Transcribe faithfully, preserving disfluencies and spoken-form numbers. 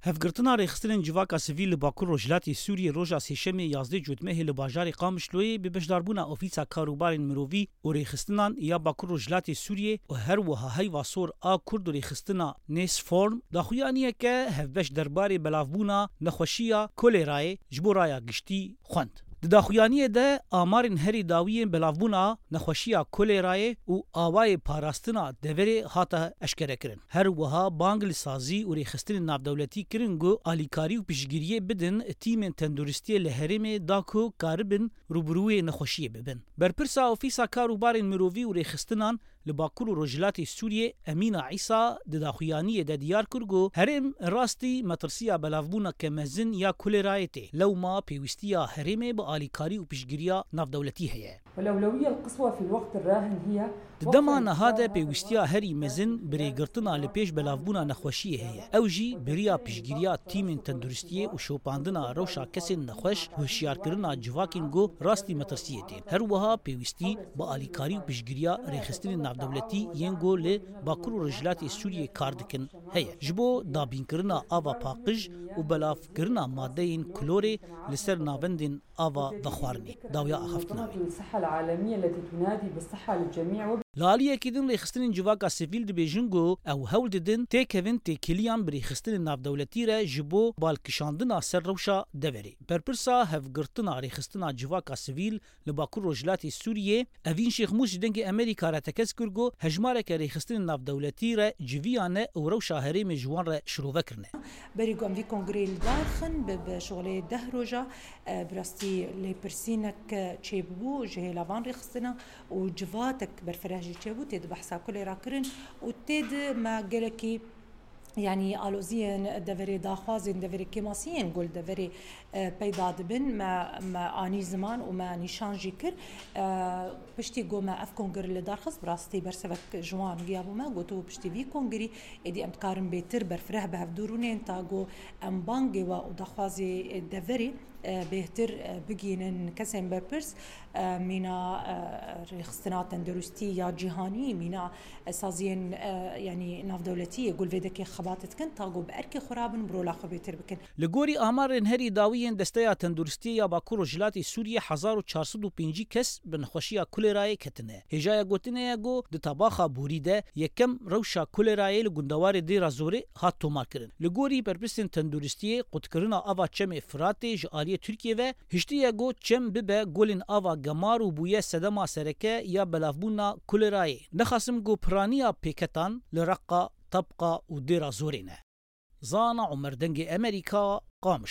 Hevgirtina rêxistinên civaka sivîl li Bakur Rojhilatê Sûriyê roja Sêşemê yazdeh Cotmehê li bajarê Qamişloyê bi beşdarbûna Ofîsa Karûbarên Mirovî û Rêxistinan ya Bakur Rojhilatê Sûriyê û her wiha Heyva Sor a Kurd û rêxistina Nêsform daxuyaniyeke hevbeş derbarê belavbûna nexweşiya kolêrayê ji bo raya giştî xwend. Di daxuyaniyê de amarên herî dawiyên belavbûna nexweşiya kolêrayê û awayê parastina deverê hate eşkerekirin. Her wiha bang li sazî û rêxistinên navdewletî kirin ku alîkarî û piştgiriyê bidin tîmên tenduristiyê li herêmê da ku karibin rûbirûyê nexweşiyê bibin. Berpirsa Ofîsa Kar û Barên Mirovî û Rêxistinan li Bakur û Rojhilatê Sûriyê Emîna Îsa di daxuyaniyê de diyar kir ku herêm rastî metirsiya belavbûneke mezin ya kolêrayê tê. Lewma pêwîstiya herêmê bi alîkarî û piştgiriya navdewletî heye. والأولوية القصوى في الوقت الراهن هي Di dema niha de pêwîstiya herî mezin bi rêgirtina li pêş belavbûna nexweşiyê heye. Ew jî bi riya piştgiriya tîmên tenduristiyê û şopandina rewşa kesên nexweş û hişyarkirina civakên ku rastî metirsiyê tên. Her wiha pêwîstî bi alîkarî û piştgiriya rêxistinên navdewletî yên ku li Bakur û Rojhilatê Sûriyê kar dikin heye. Ji bo dabînkirina ava paqij û belavkirina madeyên klorê li ser navendên ava vexwarinê dawiya axaftina wê. الصحة العالمية التي تنادي بالصحة للجميع. Li aliyekî din rêxistinên civaka sivîl dibêjin ku ew hewl didin têkevin têkiliyan bi rêxistinên navdewletî re ji bo balkişandina ser rewşa deverê. Berpirsa hevgirtina rêxistina civaka sivîl li Bakur Rojhilatê Sûriyê Evîn Şêxmûs ji Dengê Amerîka re tekez kir ku hejmareke rêxistinên navdewletî re civiyane û rewşa herêmê ji wan re şirove kirine. Berî ku em vî kongreyê li dar xin, bi, bi şixulê deh roja, e, bi rastî lêpirsînek çêbû ji hêla van rêxistina û civatek berfireh jî çêbû, tê di behsa kulê re kirin û tê di me gelekî, yanî aloziyên deverê, daxwazên deverê, kêmasiyên ku li deverê, e, peyda dibin, me, me anî ziman û me nîşan jî kir. E, piştî ku me ev kongre li dar xist, bi rastî bersivek ji wan giya bû me, gotibû piştî vî kongrî êdî em dikarin bêtir berfireh bi hevdû rûnên ta ku em bangê we û daxwazê deverê, e, bêhtir, e, bigihînin kesên berpirs, e, mîna, e, rêxistina tenduristî ya cîhanî, mîna, e, saziyên, e, yanî navdewletî yê ku li vê dekê xebat dikin, ta ku bi erkê xwe rabin, bi rola xwe bêtir bikin. Li gorî amarên herî dawî yên Desteya Tenduristiyê ya Bakur Rojhilatê Sûriyê, hezar û çar sed û pêncî kes bi nexweşiya kolêrayê ketine. Hêjaya gotinê ye ku di tabaxa borî de yekem rewşa kolêrayê li gundewarê Dêra Zorê hat tomarkirin. Li gorî berpirsên tenduristiyê, qutkirina ava çemê Firatê ji aliyê Tirkiyê ve hiştiye ku çem bibe golên ava gemar û bûye sedema sereke ya belavbûna kolêrayê. Nexasim ku piraniya pêketan li Reqa, Tebqa û Dêra Zorê ne. Zana Omer, Dengê Amerîka, Qamişlo.